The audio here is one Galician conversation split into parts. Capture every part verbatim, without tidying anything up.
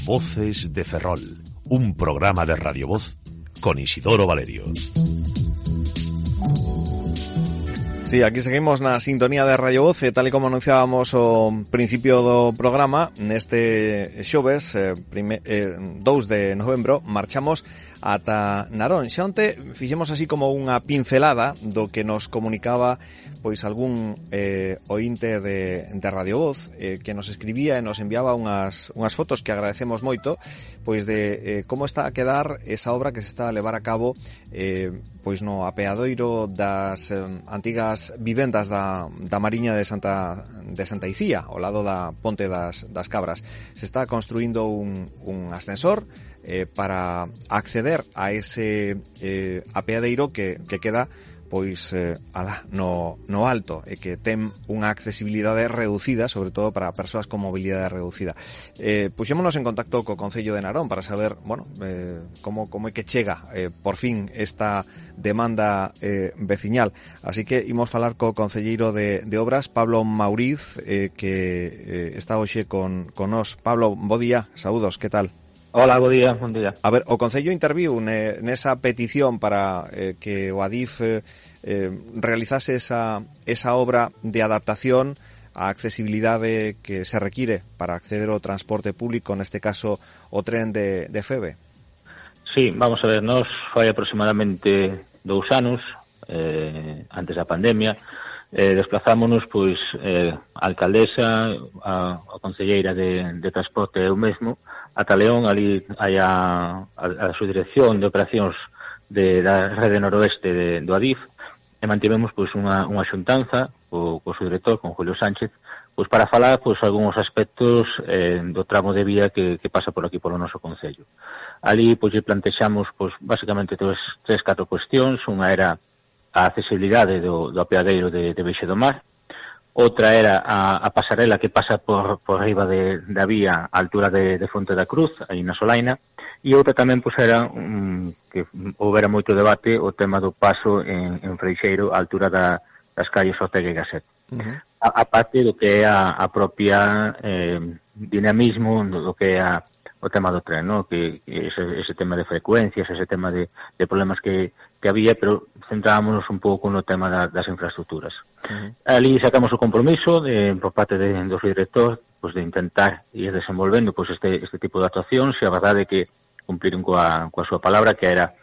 Voces de Ferrol, un programa de Radio Voz con Isidoro Valerio. Sí, aquí seguimos na sintonía de Radio Voz, e tal e como anunciábamos ao principio do programa, neste xoves, eh, prime, eh, dous de novembro, marchamos ata Narón. Xa onte fixemos así como unha pincelada do que nos comunicaba pois algún eh, ointe de, de Radio Voz eh, que nos escribía e nos enviaba unhas, unhas fotos que agradecemos moito, pois de eh, como está a quedar esa obra que se está a levar a cabo eh, pois no apeadoiro das eh, antigas vivendas da, da Mariña de Santa de Santa Icía, ao lado da Ponte das, das Cabras. Se está construindo un, un ascensor eh, para acceder a ese eh, apeadeiro que, que queda pois eh, alá, no, no alto e que ten unha accesibilidade reducida, sobre todo para persoas con mobilidade reducida. Eh, puxémonos en contacto co Concello de Narón para saber, bueno, eh, como, como é que chega eh, por fin esta demanda eh, veciñal. Así que imos falar co concelleiro de, de Obras, Pablo Mauriz, eh, que eh, está hoxe con, con nos. Pablo, bo día, saúdos, que tal? Hola, bo día, bon día. A ver, o Concello interviu ne, nesa petición para eh, que o Adif eh, eh, realizase esa, esa obra de adaptación á accesibilidade que se require para acceder ao transporte público, neste caso o tren de, de Feve. Sí, vamos a ver, nos fai aproximadamente dous anos, eh, antes da pandemia, eh, desplazámonos, pois, eh, a alcaldesa, a, a concelleira de, de transporte e eu mesmo, ata León, ali hai a, a, a subdirección de operacións de, da rede noroeste de, do Adif, e mantivemos pois unha, unha xuntanza co, co subdirector, con Julio Sánchez, pois para falar pois algúns aspectos eh, do tramo de vía que, que pasa por aquí polo noso concello. Ali pois plantexamos pois basicamente tres, tres catro cuestións. Unha era a accesibilidade do, do apeadeiro de, de Beixe do Mar. Outra era a, a pasarela que pasa por, por riba de, da vía a altura de, de Fonte da Cruz, aí na Solaina, e outra tamén pois era um, que houbera moito debate o tema do paso en, en Freixeiro a altura da, das calles Ortega e Gasset. Uh-huh. A, a parte do que é a, a propia eh, dinamismo do, do que é a, o tema do tren, ¿no? Que, que ese, ese tema de frecuencias, ese tema de, de problemas que, que había, pero centrábamos un pouco no tema da, das infraestructuras. Uh-huh. Ali sacamos o compromiso de, por parte de, do director, pues, de intentar ir desenvolvendo pues, este, este tipo de actuacións, e a verdade é que cumpliron coa, coa súa palabra, que era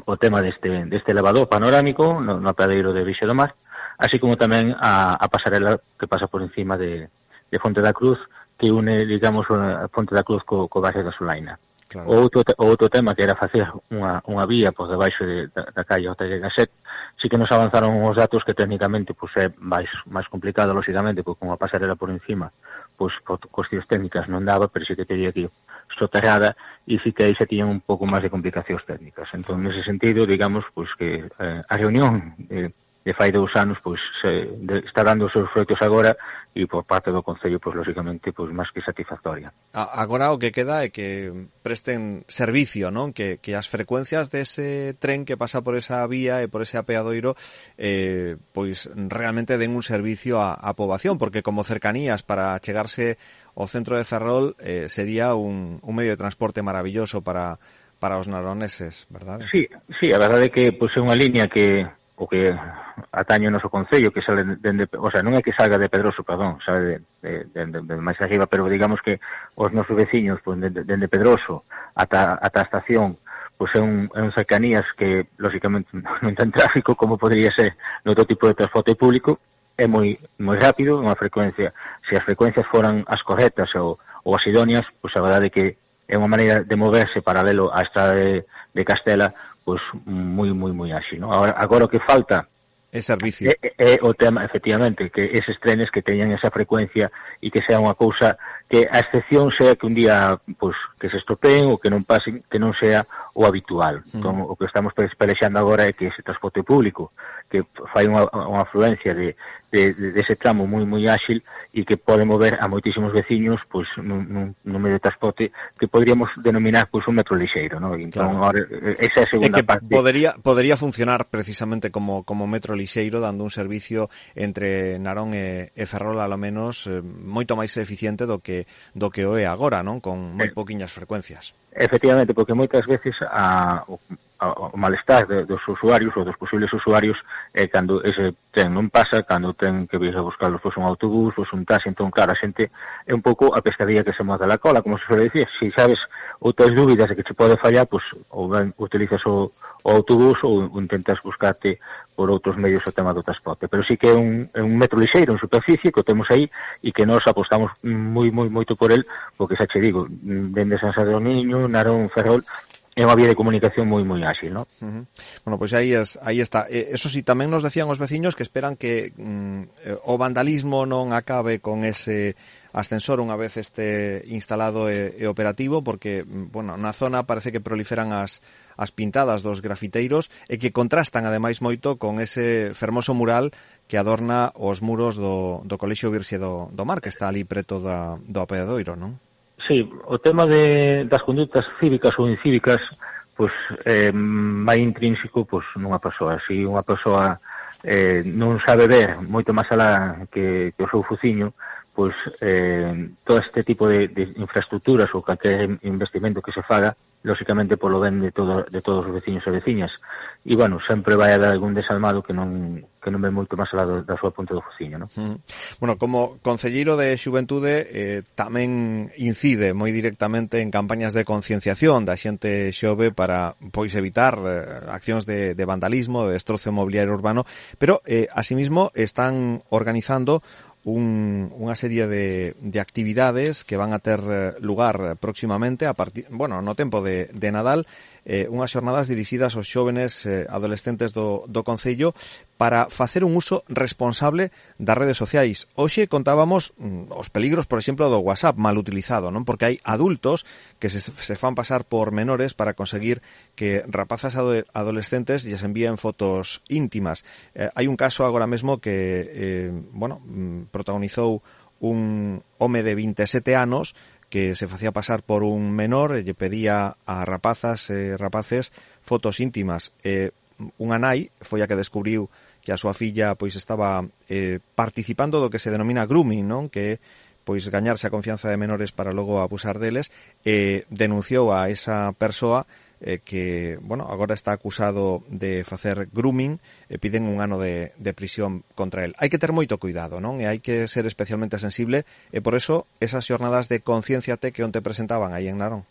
o tema deste, deste elevador panorámico no, no apeadeiro de Beixe do Mar, así como tamén a, a pasarela que pasa por encima de, de Fonte da Cruz, que une, digamos, a Fonte da Cruz co, co barrio da Solaina. Claro. O outro, o outro tema, que era facer unha, unha vía por debaixo de, da, da calle Ortega e Gasset, sí que nos avanzaron os datos que técnicamente pues, é máis, máis complicado, lógicamente, porque con a pasarela por encima, pues, por cuestións técnicas non daba, pero sí que teria que ir soterrada, e sí que aí se tiñan un pouco máis de complicacións técnicas. Entón, nese sentido, digamos, pues, que eh, a reunión eh, de fai dous anos, pois se, de, está dando os seus froitos agora, e por parte do Concello, pois lógicamente, pois máis que satisfactoria. Agora o que queda é que presten servicio, non? Que, que as frecuencias dese tren que pasa por esa vía e por ese apeadoiro eh, pois realmente den un servicio á, á poboación, porque como cercanías para chegarse ao centro de Ferrol eh, sería un, un medio de transporte maravilloso para, para os naroneses, verdade? Sí, sí, a verdade é que pois, é unha línea que o que atañe o noso concello, que sale dende, o sea, non é que salga de Pedroso, perdón, sale de, de, de, de máis arriba, pero digamos que os nosos veciños, pues, dende de, de Pedroso ata, ata a estación, pois pues, é un, é un cercanías que, lógicamente, non ten tráfico como podría ser no outro tipo de transporte público, é moi moi rápido, unha frecuencia, se as frecuencias foran as correctas ou, ou as idóneas, pois pues, a verdade é que é unha maneira de moverse paralelo á estrada de, de Castela, pois moi, moi, moi áxil, ¿no? Agora, agora o que falta é servicio. É, é o tema, efectivamente, que eses trenes que teñan esa frecuencia e que sea unha cousa que a excepción sea que un día pois que se estropeen ou que non pasen, que non sea o habitual. Mm. Entón, o que estamos pelexando agora é que ese transporte público que fai unha, unha afluencia de, de, de ese tramo moi moi áxil e que pode mover a moitísimos veciños pois nun, nun, nun medio de transporte que poderíamos denominar pois un metro lixeiro, ¿no? Entón, claro. Ahora, esa é a segunda é que parte. Podería, podería funcionar precisamente como, como metro lixeiro, dando un servicio entre Narón e, e Ferrol, a lo menos, eh, moito máis eficiente do que que do que o é agora, non? Con moi poquiñas frecuencias. Efectivamente, porque moitas veces a, o, a, o malestar de, dos usuarios ou dos posibles usuarios é cando ese tren non pasa, cando ten que vir a buscarlo fosse un autobús, fosse un taxi. Entón, claro, a xente é un pouco a pescadilla que se moza la cola, como se suele dicir. Se sabes ou tes dúbidas de que che pode fallar, pues, ou ben utilizas o, o autobús ou intentas buscarte por outros medios o tema do transporte. Pero sí que é un, é un metro lixeiro en superficie que o temos aí e que nós apostamos moi, moi, moito por el, porque xa che digo, dende San Sadurniño, Narón, Ferrol, é unha vía de comunicación moi moi áxil, ¿no? Uh-huh. Bueno, pois pues aí es, aí está. Eh, eso sí, tamén nos decían os veciños que esperan que mm, o vandalismo non acabe con ese ascensor unha vez este instalado e, e operativo, porque, bueno, na zona parece que proliferan as as pintadas dos grafiteiros e que contrastan ademais moito con ese fermoso mural que adorna os muros do, do Colexio Virxe do, do Mar, que está ali preto da, do apeadoiro, non? Sí, o tema de, das conductas cívicas ou incívicas, pois, eh, vai intrínseco, pois, nunha persoa. Se unha persoa eh, non sabe ver moito máis alá que, que o seu fuciño, pois, eh, todo este tipo de, de infraestructuras ou calquer investimento que se faga, lóxicamente polo ben de, todo, de todos os veciños e veciñas. E, bueno, sempre vai haber algún desalmado que non que non ve moito máis alá da súa punta do fociño, non? Mm. Bueno, como concelleiro de Xuventude eh, tamén incide moi directamente en campañas de concienciación da xente xove para, pois, evitar eh, accións de, de vandalismo, de destrozo mobiliario urbano, pero, eh, asimismo, están organizando Un, unha serie de, de actividades que van a ter lugar próximamente a partir, bueno, no tempo de, de Nadal, eh, unhas xornadas dirixidas aos xóvenes eh, adolescentes do, do Concello para facer un uso responsable das redes sociais. Hoxe contábamos mm, os peligros, por exemplo, do WhatsApp mal utilizado, non? Porque hai adultos que se, se fan pasar por menores para conseguir que rapazas ado, adolescentes lles envíen fotos íntimas. Eh, hai un caso agora mesmo que, eh, bueno, protagonizou un home de vinte e sete anos que se facía pasar por un menor e lle pedía a rapazas e rapaces fotos íntimas. Eh, unha nai foi a que descubriu que a súa filla pois estaba eh, participando do que se denomina grooming, non? Que pois gañarse a confianza de menores para logo abusar deles, e eh, denunciou a esa persoa eh, que, bueno, agora está acusado de facer grooming e piden un ano de, de prisión contra él. Hai que ter moito cuidado, non? E hai que ser especialmente sensible, e por eso esas xornadas de concienciate que onte presentaban aí en Narón.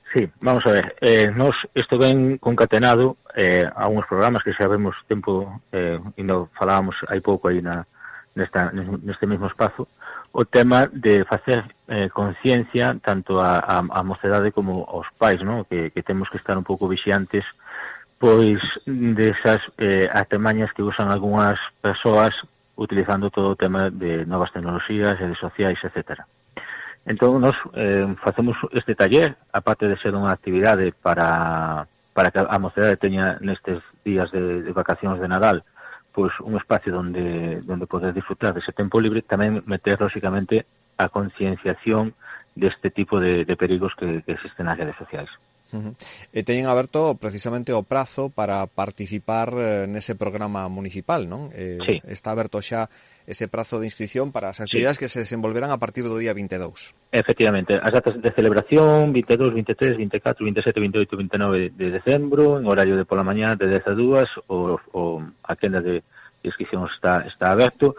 Sí, vamos a ver, eh, nos isto ven concatenado eh, a uns programas que xa vemos tempo, eh, e non falábamos hai pouco aí na, nesta, neste mesmo espazo, o tema de facer eh, conciencia tanto a, a, a mocedade como aos pais, ¿no? que, que temos que estar un pouco vixiantes pois desas eh, artemañas que usan algunhas persoas utilizando todo o tema de novas tecnoloxías, redes sociais, etcétera. Entón, nos eh, facemos este taller, aparte de ser unha actividade para, para que a mocedade teña nestes días de, de vacacións de Nadal, pois un espacio onde, onde poder disfrutar dese tempo libre, tamén meter, lóxicamente, a concienciación deste tipo de, de perigos que, que existen nas redes sociais. Uh-huh. E teñen aberto precisamente o prazo para participar eh, nese programa municipal, non? Eh, sí. Está aberto xa ese prazo de inscripción para as actividades sí. que se desenvolverán a partir do día vinte e dous. Efectivamente, as datas de celebración vinte e dous, vinte e tres, vinte e catro, vinte e sete, vinte e oito, vinte e nove de decembro, en horario de pola mañá de dez a dúas, o, o a quenda de inscripción está, está aberto.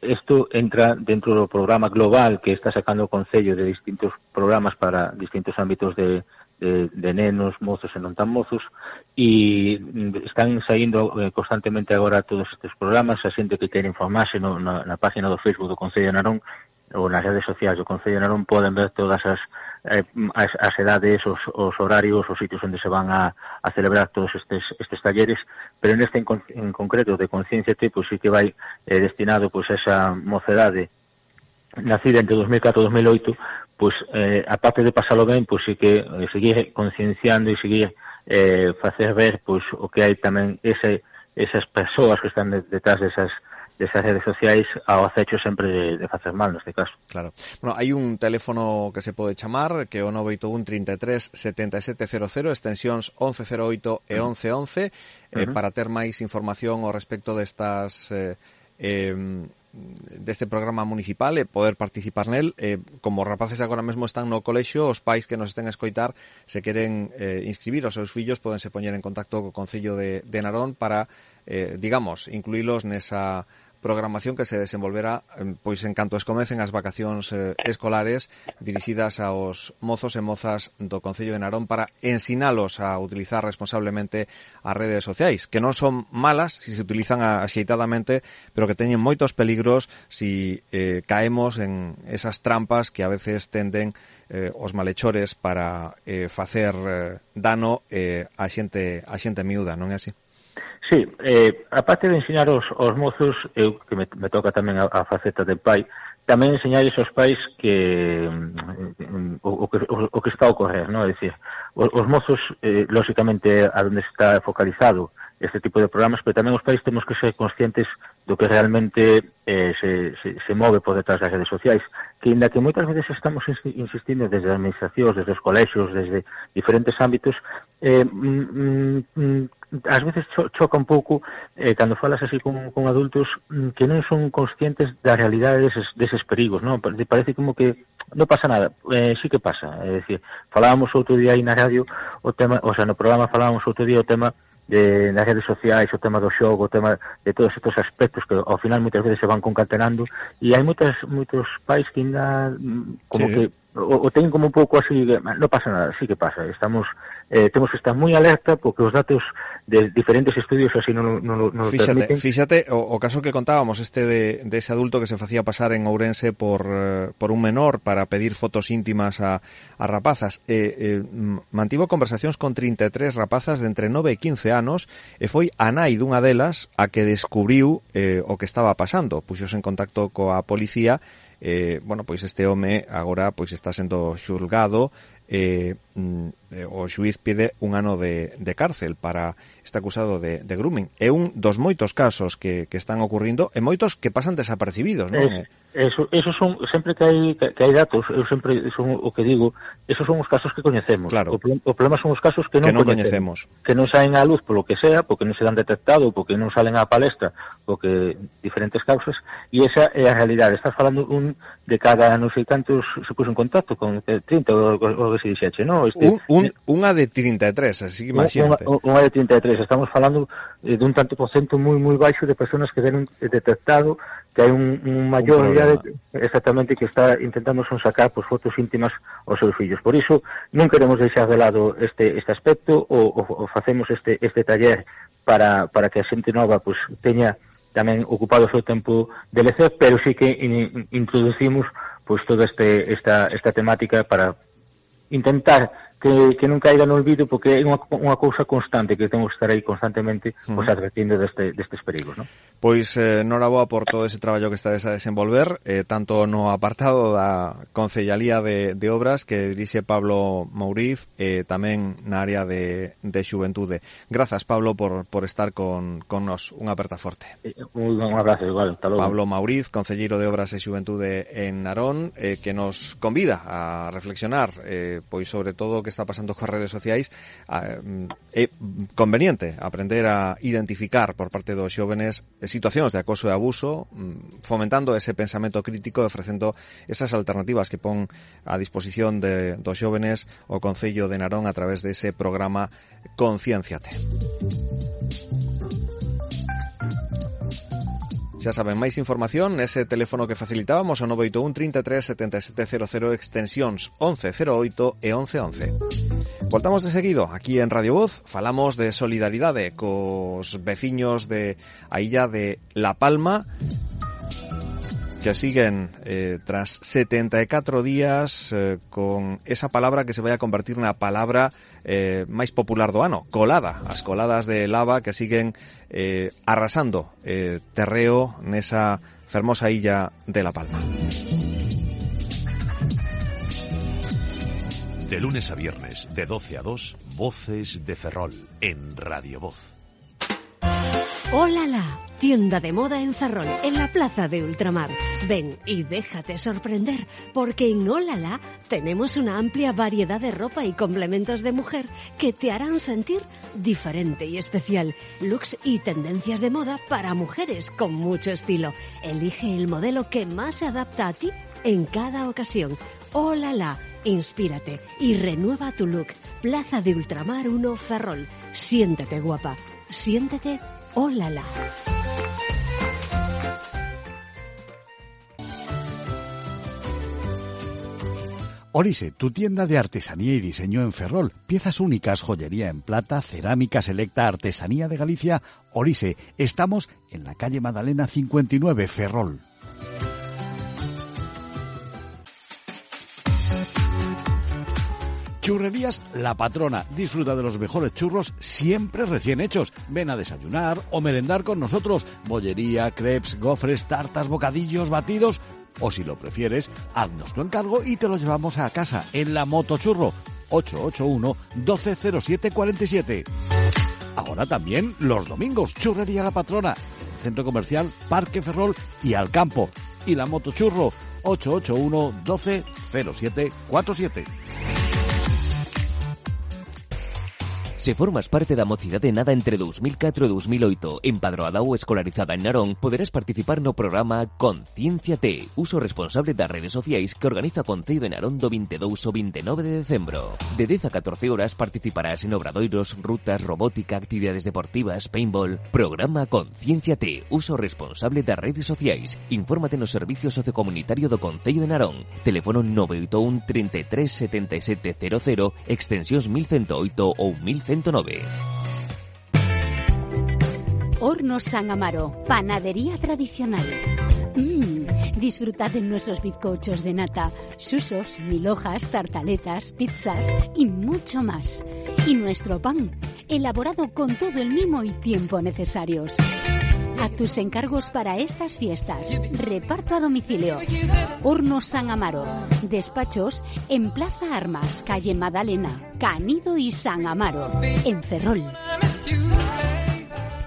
Isto entra dentro do programa global que está sacando o Concello de distintos programas para distintos ámbitos de De, de nenos, mozos e non tan mozos, e están saindo eh, constantemente agora todos estes programas. A xente que quere informarse no, na, na página do Facebook do Concello de Narón ou nas redes sociais do Concello de Narón poden ver todas as, eh, as, as edades, os, os horarios, os sitios onde se van a, a celebrar todos estes, estes talleres, pero neste en, en concreto de Concienciate, pois sí que vai eh, destinado pois a esa mocedade nacida entre dos mil catro e dos mil oito, pois, eh, aparte de pasalo ben, pois sí que eh, seguir concienciando e seguir eh, facer ver pois o que hai tamén ese, esas persoas que están detrás desas, desas redes sociais ao acecho sempre de, de facer mal, neste caso. Claro. Bueno, hai un teléfono que se pode chamar, que é o nove oito un, trinta e tres, setenta e sete cero cero, extensións once cero oito e once once, eh, uh-huh. para ter máis información ao respecto destas... Eh, eh, deste programa municipal e poder participar nel. Eh, como rapaces agora mesmo están no colexio, os pais que nos estén a escoitar, se queren eh, inscribir os seus fillos, podense poñer en contacto co Concello de, de Narón para, eh, digamos, incluílos nesa programación que se desenvolverá pois en canto escomecen as vacacións eh, escolares dirixidas aos mozos e mozas do Concello de Narón para ensinalos a utilizar responsablemente as redes sociais, que non son malas se se utilizan axeitadamente, pero que teñen moitos peligros si eh, caemos en esas trampas que a veces tenden eh, os malhechores para eh, facer eh, dano eh, a xente a xente miúda, non é así? Sí, eh, aparte de ensinar os, os mozos, eu que me, me toca tamén a, a faceta de pai, tamén enseñar aos pais que mm, o, o, que, o, o que está a ocorrer, non? É dicir, os, os mozos, eh, lógicamente, a donde está focalizado este tipo de programas, pero tamén os pais temos que ser conscientes do que realmente eh, se, se, se move por detrás das redes sociais, que ainda que moitas veces estamos insistindo desde as administracións, desde os colexios, desde diferentes ámbitos, eh, mm, mm, ás veces cho, choca un pouco eh, cando falas así con, con adultos mm, que non son conscientes da realidade deses, deses perigos, non? Parece como que non pasa nada, eh, sí que pasa, é dicir, falábamos outro día aí na radio o tema, o sea, no programa falábamos outro día o tema de das redes sociais, o tema do xogo, o tema de todos estes aspectos que ao final moitas veces se van concatenando e hai moitas, moitos pais que ainda como sí. que o, o ten como un pouco así, non pasa nada, sí que pasa, estamos eh, temos que estar moi alerta porque os datos de diferentes estudios así non, non, non fíxate, permiten. Fíxate, o, o caso que contábamos este de, de ese adulto que se facía pasar en Ourense por, eh, por un menor para pedir fotos íntimas a, a rapazas, eh, eh, mantivo conversacións con trinta e tres rapazas de entre nove e quince anos e foi a nai dunha delas a que descubriu eh, o que estaba pasando, puxose en contacto coa policía. Eh, bueno, pois este home agora pois está sendo xulgado, eh, mm, o xuiz pide un ano de, de cárcel para este acusado de, de grooming. É un dos moitos casos que, que están ocurrindo e moitos que pasan desapercibidos, non? Es, eso, eso son, sempre que hai, que, que hai datos, eu sempre son o que digo, esos son os casos que coñecemos. Claro. O, o problema son os casos que non, que non coñecemos, coñecemos. Que non saen á luz polo que sea, porque non se dan detectado, porque non salen á palestra, porque diferentes causas, e esa é a realidade. Estás falando un de cada non sei cantos se puso en contacto con trinta ou o que se dixeche, non? Este, un, un, unha de trinta e tres, así que imagínate. Unha, unha de trinta e tres, estamos falando eh, dun tanto por cento moi moi baixo de persoas que deron detectado que hai un, un maior idade exactamente que está intentando son sacar pues, fotos íntimas aos seus fillos. Por iso non queremos deixar de lado este, este aspecto ou, ou, ou facemos este, este taller para, para que a xente nova pues, teña tamén ocupado o seu tempo de lecer, pero sí que in, introducimos pues, toda este, esta, esta temática para intentar que, que non caiga no olvido, porque é unha, unha cousa constante que temos que estar aí constantemente uh-huh. pues, advertindo deste, destes perigos, non? Pois eh, noraboa por todo ese traballo que estades a desenvolver, eh, tanto no apartado da Concellalía de, de Obras que dirixe Pablo Mouriz, e eh, tamén na área de, de Xuventude. Grazas, Pablo, por, por estar con, con nos. Unha aperta forte. Un, un abrazo, igual, hasta logo. Pablo Mouriz, concelleiro de Obras e Xuventude en Narón, eh, que nos convida a reflexionar eh, pois sobre todo o que está pasando coas redes sociais. É conveniente aprender a identificar por parte dos xóvenes situacións de acoso e abuso, fomentando ese pensamento crítico e ofrecendo esas alternativas que pon a disposición de, dos xóvenes o Concello de Narón a través de ese programa Concienciate. Xa saben, máis información nese teléfono que facilitábamos o nove oito un, trinta e tres, setenta e sete cero cero, extensións once cero oito e once once. Voltamos de seguido aquí en Radio Voz, falamos de solidaridade cos veciños de a illa de La Palma, que siguen eh, tras setenta e catro días eh, con esa palabra que se vai a convertir na palabra eh, máis popular do ano, colada. As coladas de lava que siguen eh, arrasando eh, terreo nesa fermosa illa de La Palma. De lunes a viernes, de doce a dos, Voces de Ferrol, en Radio Voz. ¡Hola, la! tienda de moda en Ferrol, en la plaza de Ultramar. Ven y déjate sorprender, porque en Olala tenemos una amplia variedad de ropa y complementos de mujer que te harán sentir diferente y especial. Looks y tendencias de moda para mujeres con mucho estilo. Elige el modelo que más se adapta a ti en cada ocasión. Olala, inspírate y renueva tu look. Plaza de Ultramar uno, Ferrol. Siéntete guapa, siéntete Olala. Orise, tu tienda de artesanía y diseño en Ferrol. Piezas únicas, joyería en plata, cerámica selecta, artesanía de Galicia. Orise, estamos en la calle Madalena cincuenta y nueve, Ferrol. Churrerías La Patrona. Disfruta de los mejores churros siempre recién hechos. Ven a desayunar o merendar con nosotros. Bollería, crepes, gofres, tartas, bocadillos, batidos. O si lo prefieres, haznos tu encargo y te lo llevamos a casa en la Motochurro ocho ocho uno, doce cero siete cuarenta y siete. Ahora también los domingos, Churrería La Patrona, en el Centro Comercial Parque Ferrol y Alcampo. Y la Motochurro ocho ocho uno, doce cero siete cuarenta y siete. Se formas parte da mocidade nada entre dous mil catro e dous mil oito, empadroada ou escolarizada en Narón, poderás participar no programa Concienciate, uso responsable das redes sociais que organiza o Concello de Narón do vinte e dous ao vinte e nove de decembro. De dez a catorce horas participarás en obradoiros, rutas, robótica, actividades deportivas, paintball. Programa Concienciate, uso responsable das redes sociais. Infórmate no Servicio Sociocomunitario do Concello de Narón. Teléfono nove oito un, treinta e tres, setenta e sete cero cero, extensións mil ciento oito ou mil ciento nove. Hornos San Amaro, panadería tradicional. Mmm, disfrutad de nuestros bizcochos de nata, susos, mil hojas, tartaletas, pizzas y mucho más. Y nuestro pan, elaborado con todo el mimo y tiempo necesarios. A tus encargos para estas fiestas. Reparto a domicilio. Hornos San Amaro. Despachos en Plaza Armas, calle Madalena, Canido y San Amaro, en Ferrol.